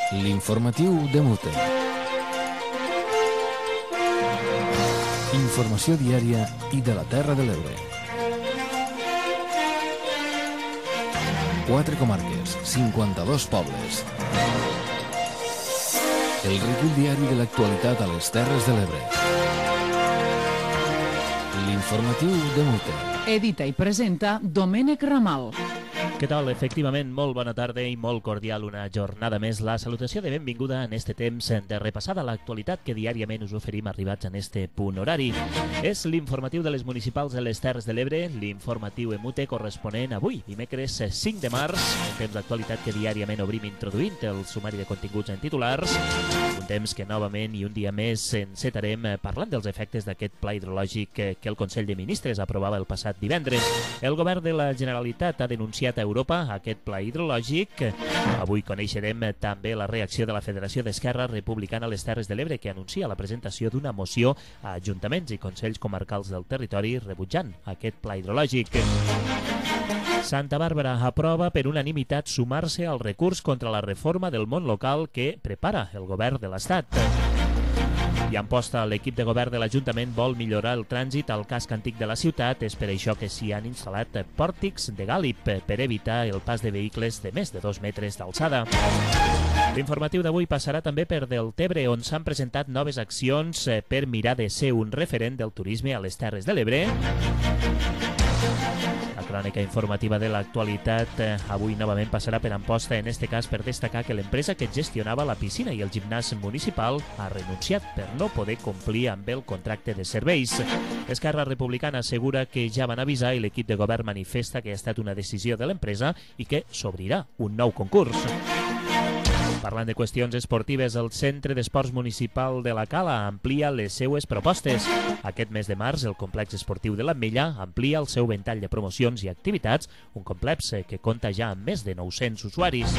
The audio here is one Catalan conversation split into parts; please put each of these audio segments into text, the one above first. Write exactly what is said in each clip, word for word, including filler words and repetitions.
L'informatiu de Mute. Informació diària i de la Terra de l'Ebre. Quatre comarques, cinquanta-dos pobles. El recull diari de l'actualitat a les Terres de l'Ebre. L'informatiu de Mute. Edita i presenta Domènec Ramal. Què tal? Efectivament, molt bona tarda i molt cordial una jornada més. La salutació de benvinguda en este temps de repassada l'actualitat que diàriament us oferim arribats en este punt horari. És l'informatiu de les municipals de les Terres de l'Ebre, l'informatiu Emute corresponent avui, dimecres cinc de març, un temps d'actualitat que diàriament obrim introduint el sumari de continguts en titulars, un temps que novament i un dia més encetarem parlant dels efectes d'aquest pla hidrològic que el Consell de Ministres aprovava el passat divendres. El govern de la Generalitat ha denunciat a Europa aquest pla hidrològic. Avui coneixerem també la reacció de la Federació d'Esquerra Republicana a les Terres de l'Ebre, que anuncia la presentació d'una moció a ajuntaments i consells comarcals del territori rebutjant aquest pla hidrològic. Santa Bàrbara aprova per unanimitat sumar-se al recurs contra la reforma del món local que prepara el govern de l'Estat. I en posta, l'equip de govern de l'Ajuntament vol millorar el trànsit al casc antic de la ciutat. És per això que s'hi han instal·lat pòrtics de gàlib per evitar el pas de vehicles de més de dos metres d'alçada. L'informatiu d'avui passarà també per Deltebre, on s'han presentat noves accions per mirar de ser un referent del turisme a les Terres de l'Ebre. La crònica informativa de l'actualitat avui novament passarà per Amposta, en este cas per destacar que l'empresa que gestionava la piscina i el gimnàs municipal ha renunciat per no poder complir amb el contracte de serveis. Esquerra Republicana assegura que ja van avisar i l'equip de govern manifesta que ha estat una decisió de l'empresa i que s'obrirà un nou concurs. Parlant de qüestions esportives, el Centre d'Esports Municipal de la Cala amplia les seues propostes. Aquest mes de març, el complex esportiu de l'Ametlla amplia el seu ventall de promocions i activitats, un complex que compta ja amb més de nou-cents usuaris.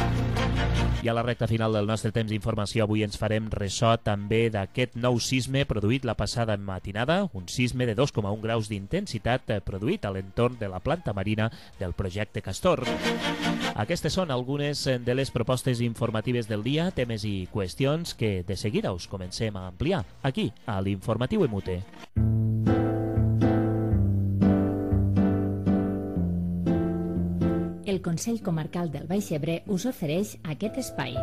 I a la recta final del nostre temps d'informació avui ens farem ressò també d'aquest nou sisme produït la passada matinada, un sisme de dos coma un graus d'intensitat produït a l'entorn de la planta marina del projecte Castor. Aquestes són algunes de les propostes informatives del dia, temes i qüestions que de seguida us comencem a ampliar aquí, a l'Informatiu Emute. El Consell Comarcal del Baix Ebre us ofereix aquest espai.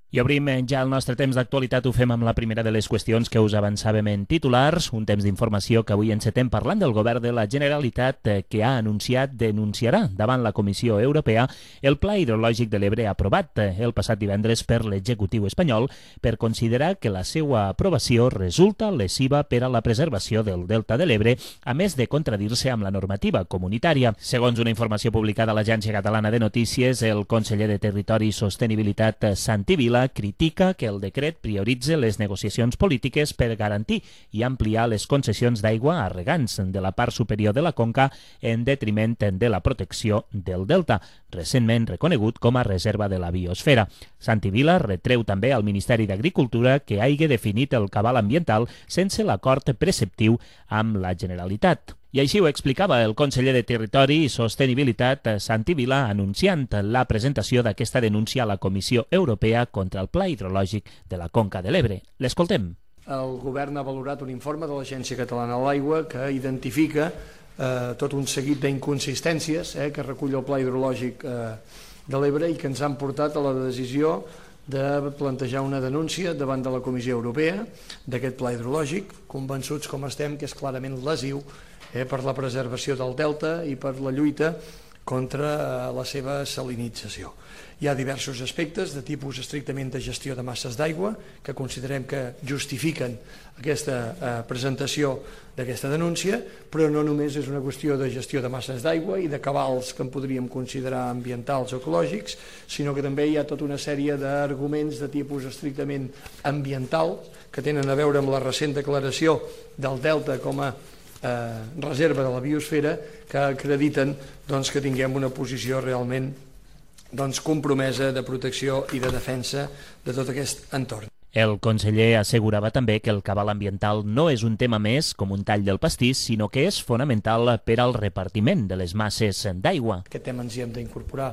I obrim ja el nostre temps d'actualitat, ho fem amb la primera de les qüestions que us avançàvem en titulars, un temps d'informació que avui encetem parlant del govern de la Generalitat que ha anunciat denunciarà davant la Comissió Europea el pla hidrològic de l'Ebre aprovat el passat divendres per l'executiu espanyol per considerar que la seva aprovació resulta lesiva per a la preservació del delta de l'Ebre, a més de contradir-se amb la normativa comunitària. Segons una informació publicada a l'Agència Catalana de Notícies, el conseller de Territori i Sostenibilitat, Santi Vila, critica que el decret prioritze les negociacions polítiques per garantir i ampliar les concessions d'aigua a regants de la part superior de la conca en detriment de la protecció del delta, recentment reconegut com a reserva de la biosfera. Santi Vila retreu també al Ministeri d'Agricultura que hagi definit el cabal ambiental sense l'acord preceptiu amb la Generalitat. I així ho explicava el conseller de Territori i Sostenibilitat, Santi Vila, anunciant la presentació d'aquesta denúncia a la Comissió Europea contra el pla hidrològic de la Conca de l'Ebre. L'escoltem. El govern ha valorat un informe de l'Agència Catalana de l'Aigua que identifica eh, tot un seguit d'inconsistències eh, que recull el pla hidrològic eh, de l'Ebre i que ens han portat a la decisió de plantejar una denúncia davant de la Comissió Europea d'aquest pla hidrològic, convençuts com estem que és clarament lesiu Eh, per la preservació del delta i per la lluita contra eh, la seva salinització. Hi ha diversos aspectes de tipus estrictament de gestió de masses d'aigua que considerem que justifiquen aquesta eh, presentació d'aquesta denúncia, però no només és una qüestió de gestió de masses d'aigua i de cabals que en podríem considerar ambientals o ecològics, sinó que també hi ha tota una sèrie d'arguments de tipus estrictament ambiental que tenen a veure amb la recent declaració del delta com a Eh, reserva de la biosfera que acrediten doncs, que tinguem una posició realment doncs, compromesa de protecció i de defensa de tot aquest entorn. El conseller assegurava també que el cabal ambiental no és un tema més com un tall del pastís, sinó que és fonamental per al repartiment de les masses d'aigua. Aquest tema ens hi hem d'incorporar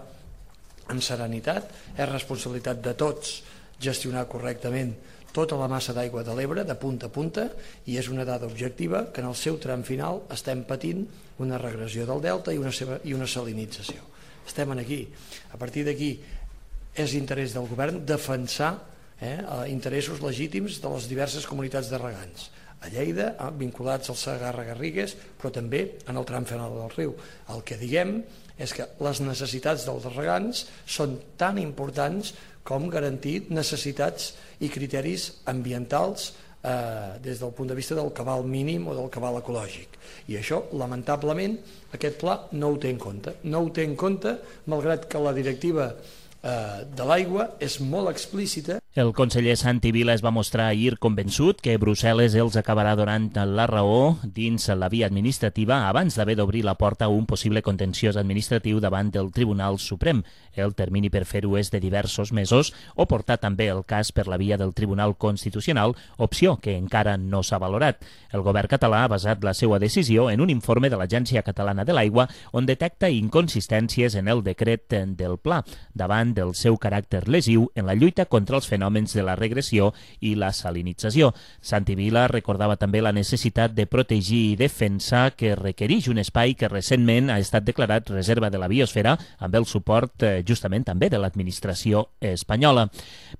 amb serenitat, és responsabilitat de tots gestionar correctament tota la massa d'aigua de l'Ebre, de punta a punta, i és una dada objectiva que en el seu tram final estem patint una regressió del delta i una, seva, i una salinització. Estem aquí. A partir d'aquí és interès del govern defensar eh, interessos legítims de les diverses comunitats de regants. A Lleida, eh, vinculats al Segarra-Garrigues, però també en el tram final del riu. El que diguem és que les necessitats dels regants són tan importants com garantir necessitats i criteris ambientals eh, des del punt de vista del cabal mínim o del cabal ecològic. I això, lamentablement, aquest pla no ho té en compte. No ho té en compte, malgrat que la directiva eh, de l'aigua és molt explícita. El conseller Santi Vila es va mostrar ahir convençut que Brussel·les els acabarà donant la raó dins la via administrativa abans d'haver d'obrir la porta a un possible contenciós administratiu davant del Tribunal Suprem. El termini per fer-ho és de diversos mesos o portar també el cas per la via del Tribunal Constitucional, opció que encara no s'ha valorat. El govern català ha basat la seva decisió en un informe de l'Agència Catalana de l'Aigua on detecta inconsistències en el decret del pla davant del seu caràcter lesiu en la lluita contra els fenòmens de la regressió i la salinització. Santi Vila recordava també la necessitat de protegir i defensar que requereix un espai que recentment ha estat declarat reserva de la biosfera amb el suport eh, justament també de l'administració espanyola.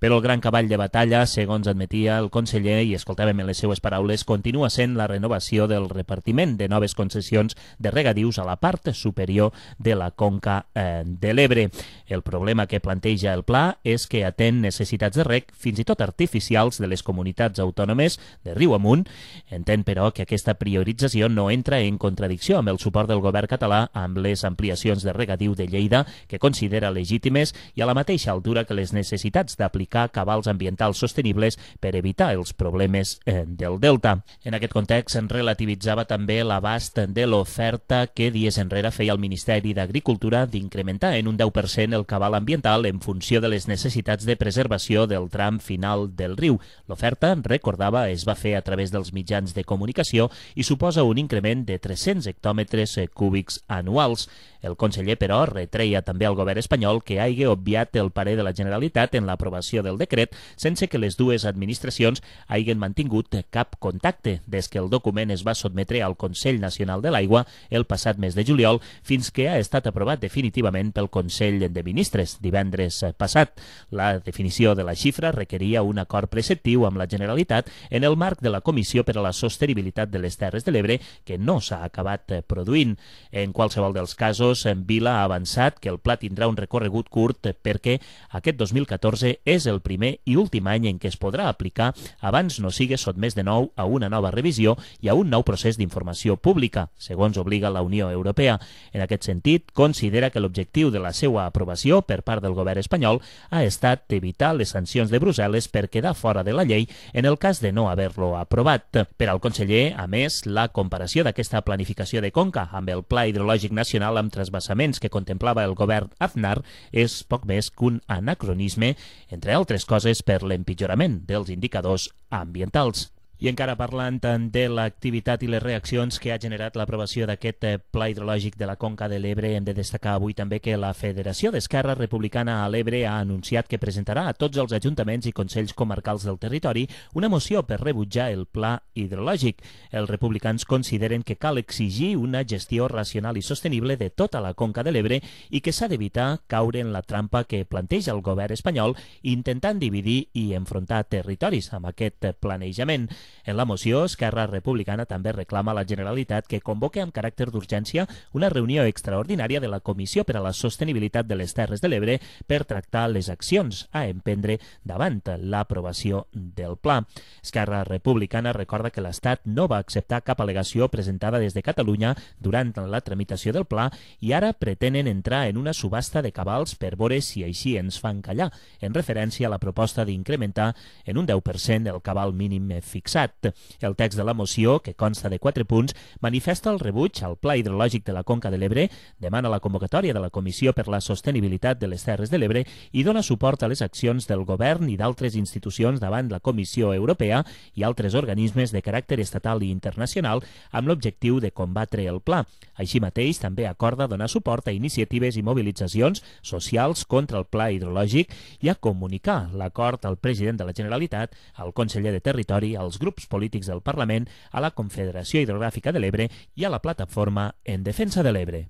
Però el gran cavall de batalla, segons admetia el conseller, i escoltàvem en les seues paraules, continua sent la renovació del repartiment de noves concessions de regadius a la part superior de la conca eh, de l'Ebre. El problema que planteja el pla és que atén necessitats de reg, fins i tot artificials, de les comunitats autònomes de riu amunt. Entén, però, que aquesta priorització no entra en contradicció amb el suport del govern català amb les ampliacions de regadiu de Lleida, que considera legítimes i a la mateixa altura que les necessitats d'aplicar cabals ambientals sostenibles per evitar els problemes eh, del delta. En aquest context, en relativitzava també l'abast de l'oferta que dies enrere feia el Ministeri d'Agricultura d'incrementar en un deu per cent el cabal ambiental en funció de les necessitats de preservació del tram final del riu. L'oferta, recordava, es va fer a través dels mitjans de comunicació i suposa un increment de tres-cents hectòmetres cúbics anuals. El conseller, però, retreia també al govern espanyol que hagi obviat el parer de la Generalitat en l'aprovació del decret sense que les dues administracions hagin mantingut cap contacte des que el document es va sotmetre al Consell Nacional de l'Aigua el passat mes de juliol fins que ha estat aprovat definitivament pel Consell de Ministres divendres passat. La definició de la xifra requeria un acord preceptiu amb la Generalitat en el marc de la Comissió per a la Sostenibilitat de les Terres de l'Ebre, que no s'ha acabat produint. En qualsevol dels casos, Vila ha avançat que el pla tindrà un recorregut curt perquè aquest dos mil catorze és el primer i últim any en què es podrà aplicar abans no sigui sotmès de nou a una nova revisió i a un nou procés d'informació pública, segons obliga la Unió Europea. En aquest sentit, considera que l'objectiu de la seva aprovació per part del govern espanyol ha estat evitar les sancions de Brussel·les per quedar fora de la llei en el cas de no haver-lo aprovat. Per al conseller, a més, la comparació d'aquesta planificació de conca amb el Pla Hidrològic Nacional amb transvasaments que contemplava el govern Aznar és poc més que un anacronisme, entre altres coses per l'empitjorament dels indicadors ambientals. I encara parlant de l'activitat i les reaccions que ha generat l'aprovació d'aquest pla hidrològic de la Conca de l'Ebre, hem de destacar avui també que la Federació d'Esquerra Republicana a l'Ebre ha anunciat que presentarà a tots els ajuntaments i consells comarcals del territori una moció per rebutjar el pla hidrològic. Els republicans consideren que cal exigir una gestió racional i sostenible de tota la Conca de l'Ebre i que s'ha d'evitar caure en la trampa que planteja el govern espanyol intentant dividir i enfrontar territoris amb aquest planejament. En la moció, Esquerra Republicana també reclama a la Generalitat que convoque amb caràcter d'urgència una reunió extraordinària de la Comissió per a la Sostenibilitat de les Terres de l'Ebre per tractar les accions a emprendre davant l'aprovació del pla. Esquerra Republicana recorda que l'Estat no va acceptar cap al·legació presentada des de Catalunya durant la tramitació del pla i ara pretenen entrar en una subhasta de cabals per veure si així ens fan callar, en referència a la proposta d'incrementar en un deu per cent el cabal mínim fixat. impulsat. El text de la moció, que consta de quatre punts, manifesta el rebuig al Pla Hidrològic de la Conca de l'Ebre, demana la convocatòria de la Comissió per la Sostenibilitat de les Terres de l'Ebre i dona suport a les accions del govern i d'altres institucions davant la Comissió Europea i altres organismes de caràcter estatal i internacional amb l'objectiu de combatre el pla. Així mateix, també acorda donar suport a iniciatives i mobilitzacions socials contra el pla hidrològic i a comunicar l'acord al president de la Generalitat, al conseller de Territori, als grups polítics del Parlament, a la Confederació Hidrogràfica de l'Ebre i a la Plataforma en Defensa de l'Ebre.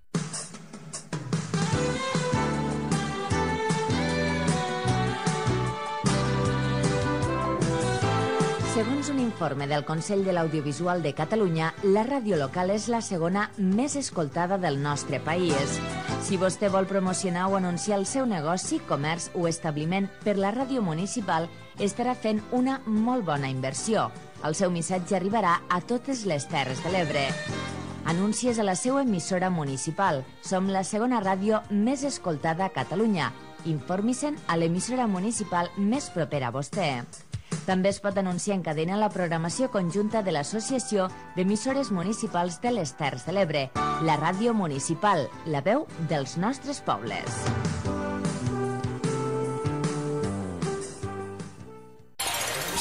Segons un informe del Consell de l'Audiovisual de Catalunya, la ràdio local és la segona més escoltada del nostre país. Si vostè vol promocionar o anunciar el seu negoci, comerç o establiment per la ràdio municipal, estarà fent una molt bona inversió. El seu missatge arribarà a totes les Terres de l'Ebre. Anuncies a la seva emissora municipal. Som la segona ràdio més escoltada a Catalunya. Informi-se'n a l'emissora municipal més propera a vostè. També es pot anunciar en cadena la programació conjunta de l'Associació d'Emissores Municipals de les Terres de l'Ebre, la ràdio municipal, la veu dels nostres pobles.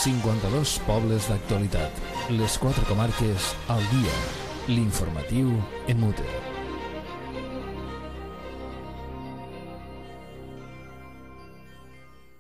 cinquanta-dos pobles d'actualitat. Les quatre comarques al dia. L'informatiu en mute.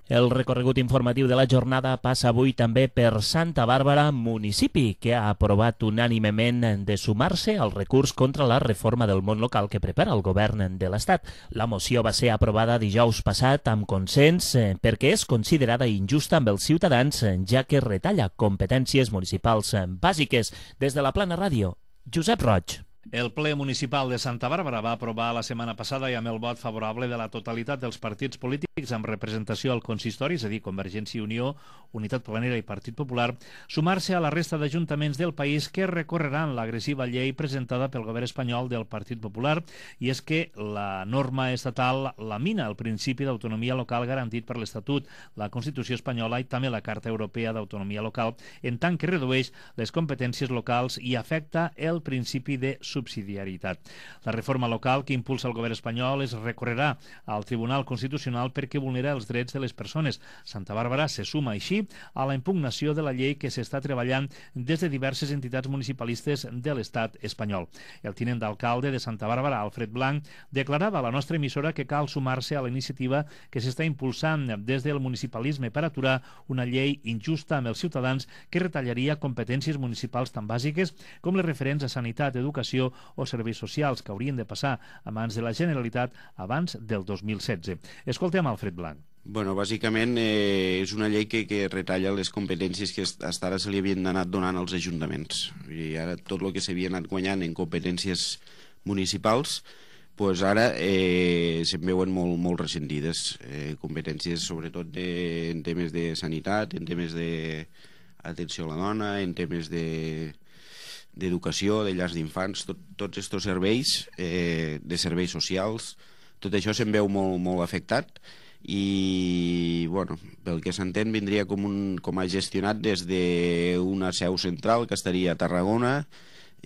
El recorregut informatiu de la jornada passa avui també per Santa Bàrbara, municipi que ha aprovat unànimement de sumar-se al recurs contra la reforma del món local que prepara el govern de l'Estat. La moció va ser aprovada dijous passat amb consens perquè és considerada injusta amb els ciutadans, ja que retalla competències municipals bàsiques. Des de la Plana Ràdio, Josep Roig. El ple municipal de Santa Bàrbara va aprovar la setmana passada i amb el vot favorable de la totalitat dels partits polítics amb representació al consistori, és a dir, Convergència i Unió, Unitat Planera i Partit Popular, sumar-se a la resta d'ajuntaments del país que recorreran l'agressiva llei presentada pel govern espanyol del Partit Popular, i és que la norma estatal lamina el principi d'autonomia local garantit per l'Estatut, la Constitució espanyola i també la Carta Europea d'Autonomia Local, en tant que redueix les competències locals i afecta el principi de subsidiarietat. La reforma local que impulsa el govern espanyol es recorrerà al Tribunal Constitucional perquè vulnera els drets de les persones. Santa Bàrbara se suma així a la impugnació de la llei que s'està treballant des de diverses entitats municipalistes de l'estat espanyol. El tinent d'alcalde de Santa Bàrbara, Alfred Blanc, declarava a la nostra emissora que cal sumar-se a la iniciativa que s'està impulsant des del municipalisme per aturar una llei injusta amb els ciutadans que retallaria competències municipals tan bàsiques com les referents a sanitat, educació o serveis socials que haurien de passar a mans de la Generalitat abans del dos mil setze. Escoltem Alfred Blanc. Bueno, bàsicament eh, és una llei que, que retalla les competències que fins ara se li havien anat donant als ajuntaments. I ara tot el que s'havia anat guanyant en competències municipals, pues ara eh, se'n veuen molt, molt ressentides. Eh, competències sobretot de, en temes de sanitat, en temes d'atenció a la dona, en temes de d'educació, de llars d'infants, tot, tots aquests serveis, eh, de serveis socials, tot això se'n veu molt, molt afectat i, bueno, pel que s'entén vindria com, un, com a gestionat des d'una seu central que estaria a Tarragona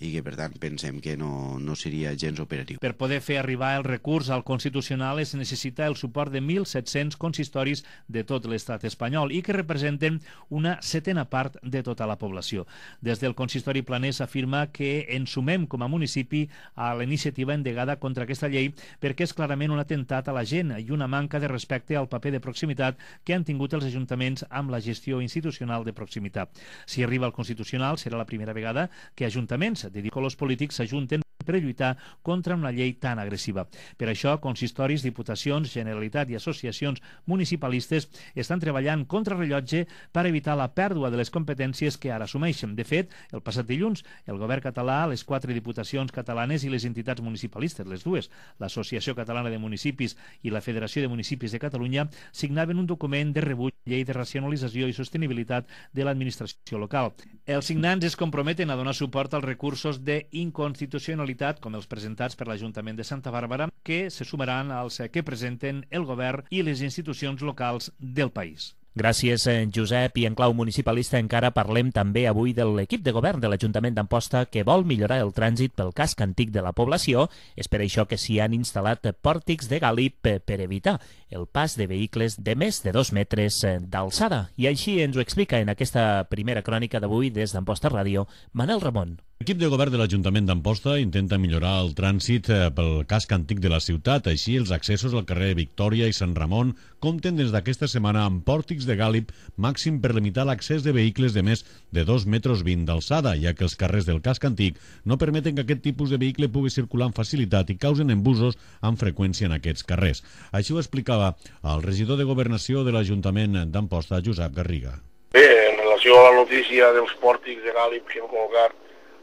i que, per tant, pensem que no, no seria gens operatiu. Per poder fer arribar el recurs al Constitucional es necessita el suport de mil set-cents consistoris de tot l'estat espanyol i que representen una setena part de tota la població. Des del consistori planer s'afirma que ens sumem com a municipi a la iniciativa endegada contra aquesta llei perquè és clarament un atemptat a la gent i una manca de respecte al paper de proximitat que han tingut els ajuntaments amb la gestió institucional de proximitat. Si arriba al Constitucional serà la primera vegada que ajuntaments de colors polítics s'ajunten per lluitar contra una llei tan agressiva. Per això, consistoris, diputacions, Generalitat i associacions municipalistes estan treballant contra rellotge per evitar la pèrdua de les competències que ara assumeixen. De fet, el passat dilluns, el govern català, les quatre diputacions catalanes i les entitats municipalistes, les dues, l'Associació Catalana de Municipis i la Federació de Municipis de Catalunya, signaven un document de rebuig llei de racionalització i sostenibilitat de l'administració local. Els signants es comprometen a donar suport als recursos d'inconstitucionalitat com els presentats per l'Ajuntament de Santa Bàrbara, que se sumaran als que presenten el govern i les institucions locals del país. Gràcies, Josep. I en clau municipalista encara parlem també avui de l'equip de govern de l'Ajuntament d'Amposta que vol millorar el trànsit pel casc antic de la població. És per això que s'hi han instal·lat pòrtics de gàlib per evitar el pas de vehicles de més de dos metres d'alçada. I així ens ho explica en aquesta primera crònica d'avui des d'Amposta Ràdio, Manel Ramon. L'equip de govern de l'Ajuntament d'Amposta intenta millorar el trànsit pel casc antic de la ciutat. Així, els accessos al carrer Victòria i Sant Ramon compten des d'aquesta setmana amb pòrtics de gàlib màxim per limitar l'accés de vehicles de més de dos metres vint d'alçada, ja que els carrers del casc antic no permeten que aquest tipus de vehicle pugui circular amb facilitat i causen embussos amb freqüència en aquests carrers. Així ho explicava el regidor de Governació de l'Ajuntament d'Amposta, Josep Garriga. Bé, en relació a la notícia dels pòrtics de gàlib que hem col·locat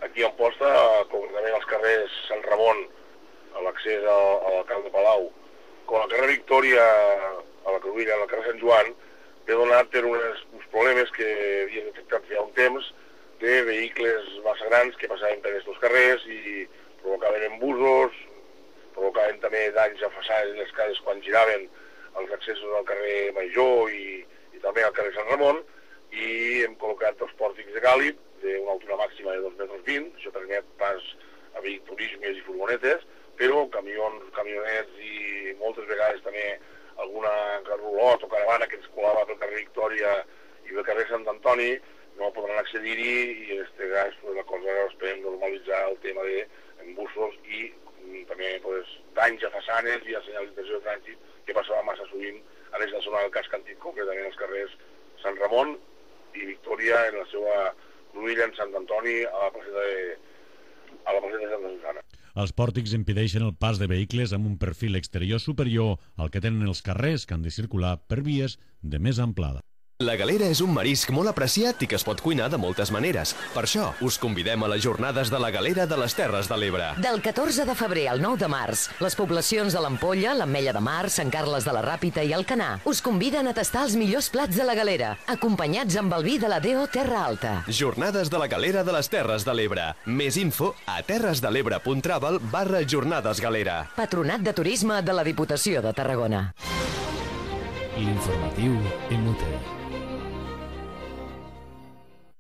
aquí a Amposta, concretament als carrers Sant Ramon, a l'accés a l'alcalde Palau, com al carrer Victòria, a la Cruïlla, al carrer Sant Joan, he donat per unes, uns problemes que havien detectat ja un temps de vehicles massa grans que passaven per aquests carrers i provocaven embussos, provocaven també danys a façanes i les cases quan giraven els accessos al carrer Major i, i també al carrer Sant Ramon, i hem col·locat dos pòrtics de gàlib d'una altura màxima de dos metres vint, això permet pas a turismes i furgonetes, però camions, camionets i moltes vegades també alguna rulot o caravana que ens colava pel carrer Victòria i pel carrer Sant Antoni no podran accedir-hi i en aquest cas pues, la cosa esperem normalitzar el tema d'embussos i també pues, danys a façanes i a senyalització de trànsit que passava massa sovint a aquesta zona del casc antic, concretament als carrers Sant Ramon i Victòria en la seva Cruïlla, en Sant Antoni, a la placeta de, a la placeta de Santa Susana. Els pòrtics impedeixen el pas de vehicles amb un perfil exterior superior al que tenen els carrers que han de circular per vies de més amplada. La galera és un marisc molt apreciat i que es pot cuinar de moltes maneres. Per això, us convidem a les jornades de la galera de les Terres de l'Ebre. Del catorze de febrer al nou de març, les poblacions de l'Ampolla, l'Ametlla de Mar, Sant Carles de la Ràpita i Alcanar us conviden a tastar els millors plats de la galera, acompanyats amb el vi de la D O Terra Alta. Jornades de la galera de les Terres de l'Ebre. Més info a terresdelebre.travel barra jornades galera. Patronat de Turisme de la Diputació de Tarragona. L'informatiu en UTE.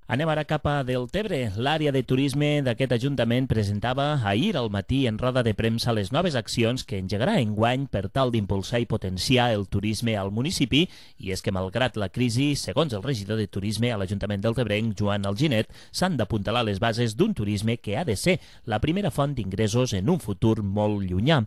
Anem ara cap a Deltebre. L'àrea de turisme d'aquest Ajuntament presentava ahir al matí en roda de premsa les noves accions que engegarà enguany per tal d'impulsar i potenciar el turisme al municipi, i és que malgrat la crisi, segons el regidor de turisme a l'Ajuntament deltebrenc, Joan Alginet, s'han d'apuntalar les bases d'un turisme que ha de ser la primera font d'ingressos en un futur molt llunyà.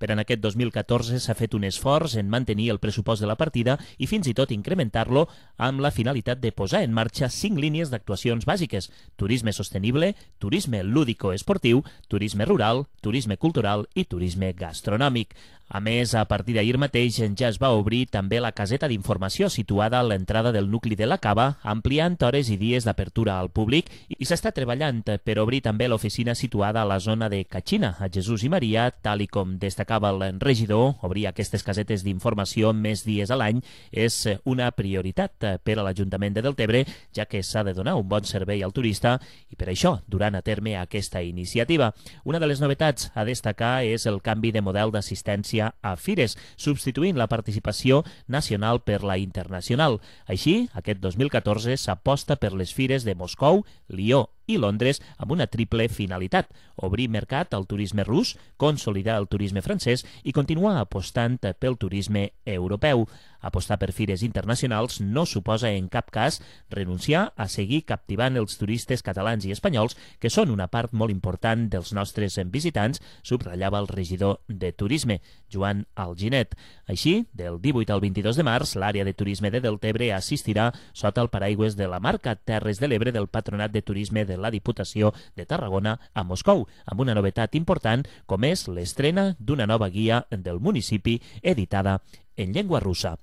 Per en aquest dos mil catorze s'ha fet un esforç en mantenir el pressupost de la partida i fins i tot incrementar-lo amb la finalitat de posar en marxa cinc línies d'actuació actuacions bàsiques: turisme sostenible, turisme lúdico-esportiu, turisme rural, turisme cultural i turisme gastronòmic. A més, a partir d'ahir mateix ja es va obrir també la caseta d'informació situada a l'entrada del nucli de la Cava, ampliant hores i dies d'apertura al públic, i s'està treballant per obrir també l'oficina situada a la zona de Catxina, a Jesús i Maria, tal i com destacava el regidor. Obrir aquestes casetes d'informació més dies a l'any és una prioritat per a l'Ajuntament de Deltebre, ja que s'ha de donar un bon servei al turista i per això duran a terme aquesta iniciativa. Una de les novetats a destacar és el canvi de model d'assistència a fires, substituint la participació nacional per la internacional. Així, aquest dos mil catorze s'aposta per les fires de Moscou, Lió i Londres amb una triple finalitat: obrir mercat al turisme rus, consolidar el turisme francès i continuar apostant pel turisme europeu. Apostar per fires internacionals no suposa en cap cas renunciar a seguir captivant els turistes catalans i espanyols, que són una part molt important dels nostres visitants, subratllava el regidor de turisme, Joan Alginet. Així, del divuit al vint-i-dos de març, l'àrea de turisme de Deltebre assistirà sota el paraigües de la marca Terres de l'Ebre del Patronat de Turisme de la Diputació de Tarragona a Moscou, amb una novetat important com és l'estrena d'una nova guia del municipi editada en llengua russa.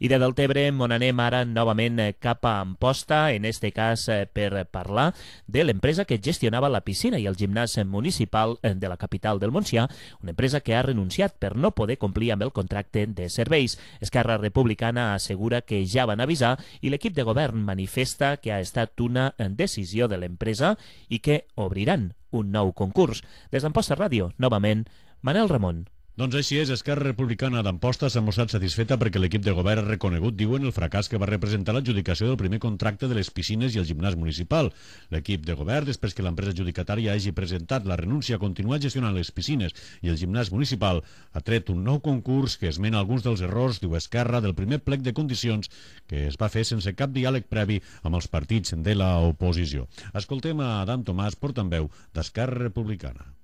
I de Deltebre on anem ara novament cap a Amposta, en este cas per parlar de l'empresa que gestionava la piscina i el gimnàs municipal de la capital del Montsià, una empresa que ha renunciat per no poder complir amb el contracte de serveis. Esquerra Republicana assegura que ja van avisar i l'equip de govern manifesta que ha estat una decisió de l'empresa i que obriran un nou concurs. Des d'Amposta Ràdio, novament, Manel Ramon. Doncs així és, Esquerra Republicana d'Amposta s'ha mostrat satisfeta perquè l'equip de govern ha reconegut, diuen, el fracàs que va representar l'adjudicació del primer contracte de les piscines i el gimnàs municipal. L'equip de govern, després que l'empresa adjudicatària hagi presentat la renúncia a continuar gestionant les piscines i el gimnàs municipal, ha tret un nou concurs que esmena alguns dels errors, diu Esquerra, del primer plec de condicions que es va fer sense cap diàleg previ amb els partits de l'oposició. Escoltem a Adam Tomàs, portaveu d'Esquerra Republicana.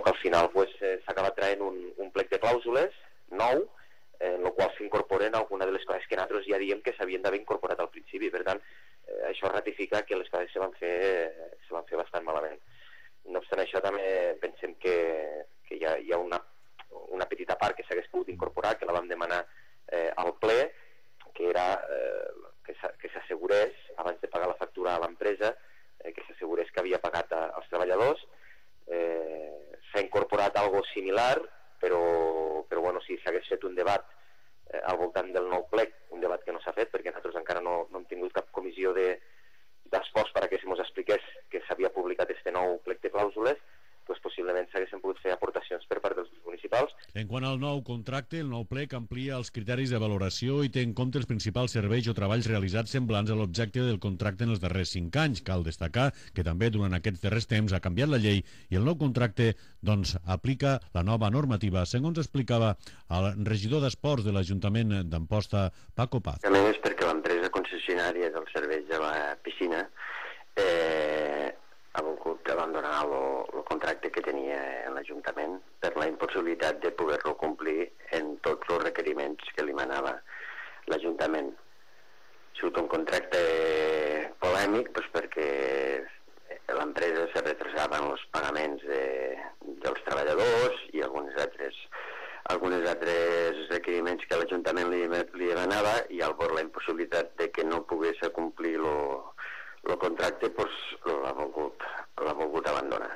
Al final pues, eh, s'ha acabat traient un, un plec de clàusules nou, eh, en el qual s'incorporen alguna de les coses que nosaltres ja diem que s'havien d'haver incorporat al principi. Per tant, eh, això ratifica que les coses se van fer, eh, se van fer bastant malament. No obstant això, també pensem que, que hi ha, hi ha una, una petita part que s'hagués pogut incorporar, que la vam demanar eh, al ple, que era eh, que s'assegurés, abans de pagar la factura a l'empresa, eh, que s'assegurés que havia pagat a, als treballadors. Eh, s'ha incorporat algo similar, però, però bueno, si s'hagués fet un debat eh, al voltant del nou plec, un debat que no s'ha fet perquè nosaltres encara no, no hem tingut cap comissió d'esports de, perquè se mos expliqués que s'havia publicat este nou plec de clàusules, doncs possiblement s'haguessin pogut fer aportacions per part dels municipals. En quant al nou contracte, el nou plec amplia els criteris de valoració i té en compte els principals serveis o treballs realitzats semblants a l'objecte del contracte en els darrers cinc anys. Cal destacar que també durant aquests darrers temps ha canviat la llei i el nou contracte doncs, aplica la nova normativa, segons explicava el regidor d'Esports de l'Ajuntament d'Amposta, Paco Paz. A més, perquè l'empresa concessionària dels serveis de la piscina eh, ha volgut abandonar el contracte que tenia en l'Ajuntament per la impossibilitat de poder-lo complir en tots els requeriments que li manava l'Ajuntament. Ha sigut un contracte polèmic doncs, perquè l'empresa se retrasava en els pagaments de, dels treballadors i alguns altres, alguns altres requeriments que l'Ajuntament li, li demanava, i al veure la impossibilitat de que no pogués complir lo el contracte pues, l'ha volgut, l'ha volgut abandonar.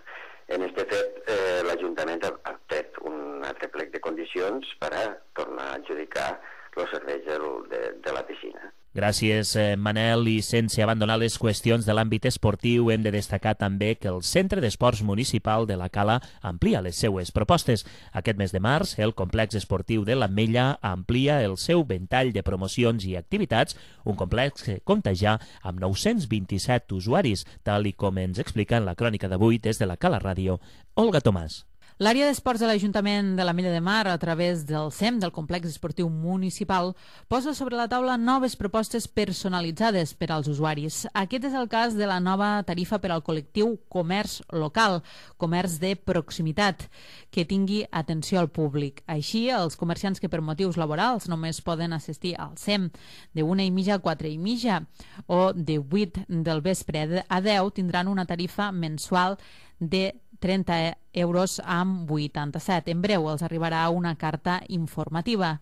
En aquest fet, eh, l'Ajuntament ha tret un altre plec de condicions per a tornar a adjudicar els serveis de, de, de la piscina. Gràcies, Manel. I sense abandonar les qüestions de l'àmbit esportiu, hem de destacar també que el Centre d'Esports Municipal de la Cala amplia les seues propostes. Aquest mes de març, el complex esportiu de l'Ametlla amplia el seu ventall de promocions i activitats, un complex que compta ja amb nou-cents vint-i-set usuaris, tal i com ens explica en la crònica d'avui des de la Cala Ràdio, Olga Tomàs. L'àrea d'esports de l'Ajuntament de l'Ametlla de Mar, a través del C E M, del Complex Esportiu Municipal, posa sobre la taula noves propostes personalitzades per als usuaris. Aquest és el cas de la nova tarifa per al col·lectiu comerç local, comerç de proximitat, que tingui atenció al públic. Així, els comerciants que per motius laborals només poden assistir al C E M de una i mitja a quatre i mitja o de vuit del vespre a deu tindran una tarifa mensual de trenta euros amb vuitanta-set. En breu els arribarà una carta informativa.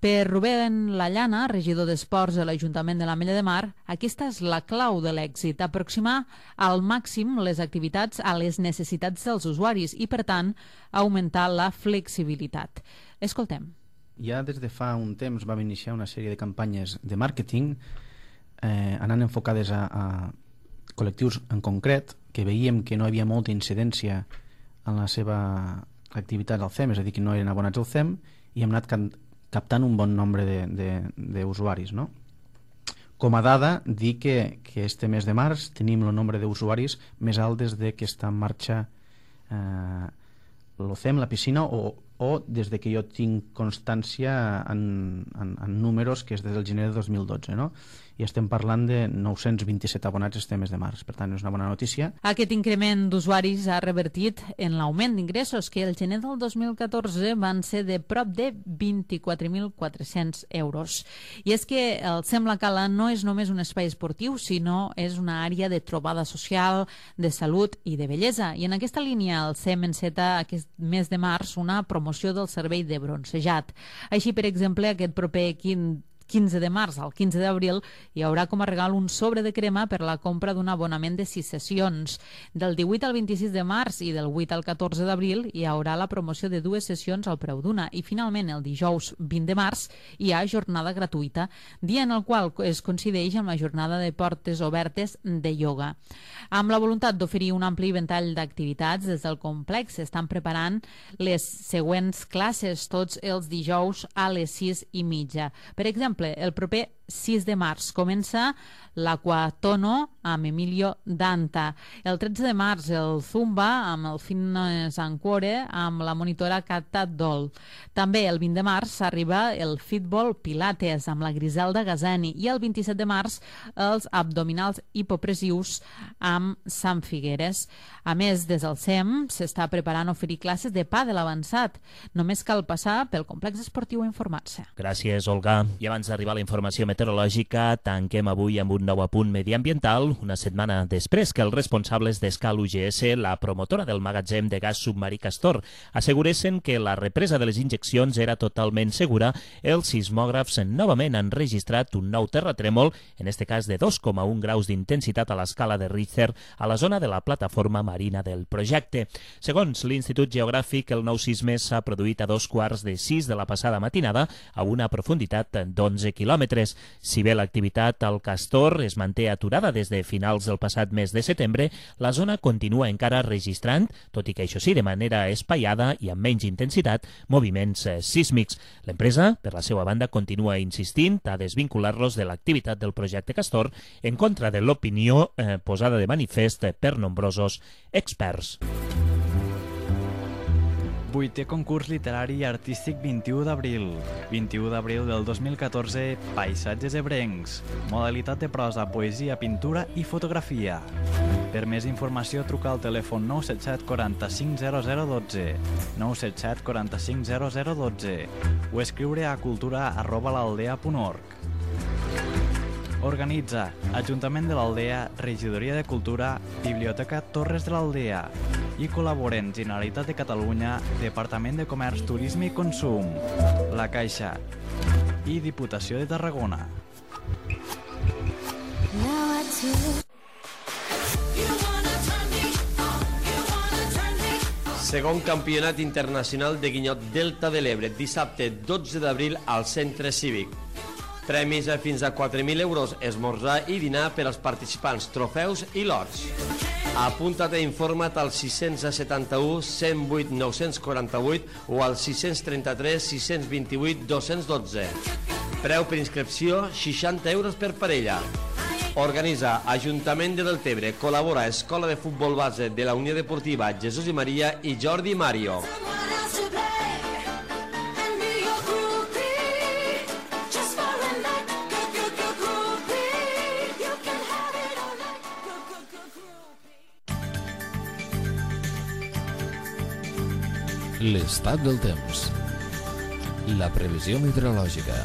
Per Rubén Lallana, regidor d'Esports de l'Ajuntament de l'Ametlla de Mar, aquesta és la clau de l'èxit, aproximar al màxim les activitats a les necessitats dels usuaris i, per tant, augmentar la flexibilitat. Escoltem. Ja des de fa un temps vam iniciar una sèrie de campanyes de màrqueting eh, anant enfocades a, a col·lectius en concret, que veiem que no hi havia molta incidència en la seva activitat al C E M, és a dir, que no eren abonats al C E M, i hem anat captant un bon nombre d'usuaris, no? Com a dada, dir que, que este mes de març tenim el nombre d'usuaris més alt des de que està en marxa eh, el C E M, la piscina, o, o des de que jo tinc constància en, en, en números, que és des del gener de dos mil dotze, no? I estem parlant de nou-cents vint-i-set abonats este mes de març. Per tant, és una bona notícia. Aquest increment d'usuaris ha revertit en l'augment d'ingressos, que el gener del dos mil catorze van ser de prop de vint-i-quatre mil quatre-cents euros. I és que el C E M La Cala no és només un espai esportiu, sinó és una àrea de trobada social, de salut i de bellesa. I en aquesta línia el C E M enceta aquest mes de març una promoció del servei de bronzejat. Així, per exemple, aquest proper quinze de març al quinze d'abril hi haurà com a regal un sobre de crema per la compra d'un abonament de sis sessions. Del divuit al vint-i-sis de març i del vuit al catorze d'abril hi haurà la promoció de dues sessions al preu d'una i finalment el dijous vint de març hi ha jornada gratuïta, dia en el qual es coincideix amb la jornada de portes obertes de ioga. Amb la voluntat d'oferir un ampli ventall d'activitats des del complex s'estan preparant les següents classes tots els dijous a les sis i mitja. Per exemple, el proper sis de març comença l'Aquatono amb Emilio Danta. El tretze de març el Zumba amb el Fitness and Core amb la monitora Cata Dol. També el vint de març arriba el Fitball Pilates amb la Griselda Gazani i el vint-i-set de març els abdominals hipopressius amb Sant Figueres. A més, des del S E M s'està preparant oferir classes de pàdel avançat. Només cal passar pel complex esportiu a informar-se. Gràcies, Olga. I abans d'arribar a la informació meteorològica, tanquem avui amb un nou apunt mediambiental, una setmana després que els responsables d'Escal U G S, la promotora del magatzem de gas submarí Castor, asseguressin que la represa de les injeccions era totalment segura, els sismògrafs novament han registrat un nou terratrèmol, en este cas de dos coma un graus d'intensitat a l'escala de Richter, a la zona de la plataforma marina del projecte. Segons l'Institut Geogràfic, el nou sisme s'ha produït a dos quarts de sis de la passada matinada, a una profunditat d'onze quilòmetres. Si bé l'activitat al Castor es manté aturada des de finals del passat mes de setembre, la zona continua encara registrant, tot i que això sí de manera espaiada i amb menys intensitat, moviments sísmics. L'empresa, per la seva banda, continua insistint a desvincular-los de l'activitat del projecte Castor en contra de l'opinió eh, posada de manifest per nombrosos experts. Vuitè concurs literari i artístic vint-i-u d'abril. vint-i-u d'abril del dos mil catorze, Paisatges ebrencs. Modalitat de prosa, poesia, pintura i fotografia. Per més informació, truca al telèfon nou set set quaranta-cinc zero zero dotze, nou set set quaranta-cinc zero zero dotze o escriure a cultura arroba l'aldea punt org. Organitza Ajuntament de l'Aldea, Regidoria de Cultura, Biblioteca Torres de l'Aldea i col·laboren Generalitat de Catalunya, Departament de Comerç, Turisme i Consum, La Caixa i Diputació de Tarragona. Segon Campionat Internacional de Guinyot Delta de l'Ebre, dissabte dotze d'abril al Centre Cívic. Premis a fins a quatre mil euros, esmorzar i dinar per als participants, trofeus i lots. Apunta't i informa't al sis setanta-u, cent vuit, nou quaranta-vuit o al sis trenta-tres, sis vint-i-vuit, dos dotze. Preu per inscripció, seixanta euros per parella. Organitza Ajuntament de Deltebre, col·labora Escola de Futbol Base de la Unió Deportiva Jesús i Maria i Jordi Mario. L'estat del temps. La previsió meteorològica.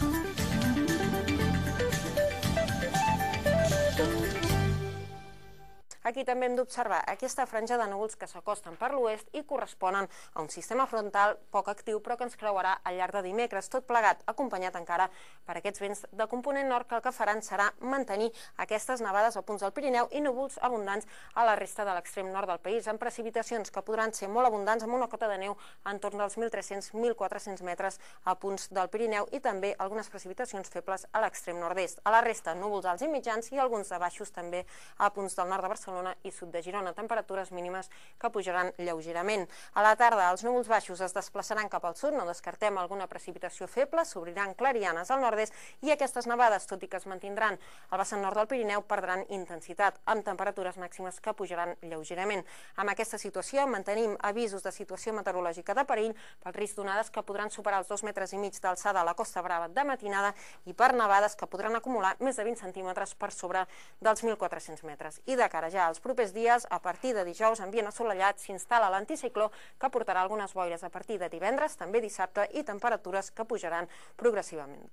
Aquí també hem d'observar aquesta franja de núvols que s'acosten per l'oest i corresponen a un sistema frontal poc actiu però que ens creuarà al llarg de dimecres, tot plegat acompanyat encara per aquests vents de component nord que el que faran serà mantenir aquestes nevades a punts del Pirineu i núvols abundants a la resta de l'extrem nord del país, amb precipitacions que podran ser molt abundants amb una cota de neu entorn dels mil tres-cents a mil quatre-cents metres a punts del Pirineu i també algunes precipitacions febles a l'extrem nord-est. A la resta, núvols alts i mitjans i alguns de baixos també a punts del nord de Barcelona i sud de Girona, temperatures mínimes que pujaran lleugerament. A la tarda, els núvols baixos es desplaçaran cap al sud, no descartem alguna precipitació feble, s'obriran clarianes al nord-est i aquestes nevades, tot i que es mantindran al vessant nord del Pirineu, perdran intensitat, amb temperatures màximes que pujaran lleugerament. Amb aquesta situació mantenim avisos de situació meteorològica de perill pel risc d'onades que podran superar els dos metres i mig d'alçada a la Costa Brava de matinada i per nevades que podran acumular més de vint centímetres per sobre dels mil quatre-cents metres. I de cara ja als propers dies, a partir de dijous, ambient assolellat, s'instal·la l'anticicló que portarà algunes boires a partir de divendres, també dissabte, i temperatures que pujaran progressivament.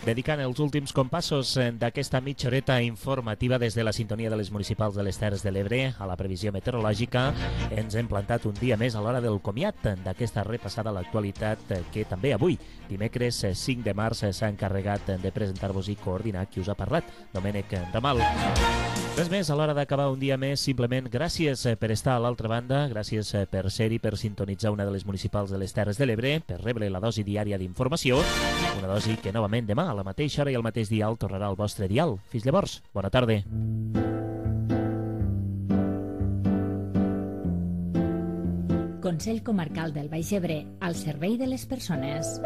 Dedicant els últims compassos d'aquesta mitja horeta informativa des de la sintonia de les municipals de les Terres de l'Ebre a la previsió meteorològica, ens hem plantat un dia més a l'hora del comiat d'aquesta repassada a l'actualitat que també avui, dimecres cinc de març, s'ha encarregat de presentar-vos i coordinar qui us ha parlat, Domènec Ramal. Res més, a l'hora d'acabar un dia més, simplement gràcies per estar a l'altra banda, gràcies per ser-hi, per sintonitzar una de les municipals de les Terres de l'Ebre, per rebre la dosi diària d'informació, una dosi que novament demà a la mateixa hora i al mateix dial tornarà al vostre dial. Fins llavors, bona tarda. Consell Comarcal del Baix Ebre, al servei de les persones.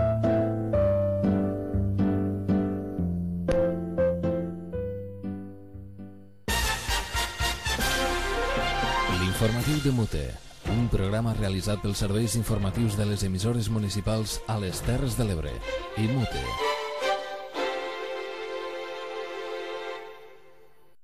L'informatiu de Mute, un programa realitzat pels serveis informatius de les emissores municipals a les Terres de l'Ebre i Mute.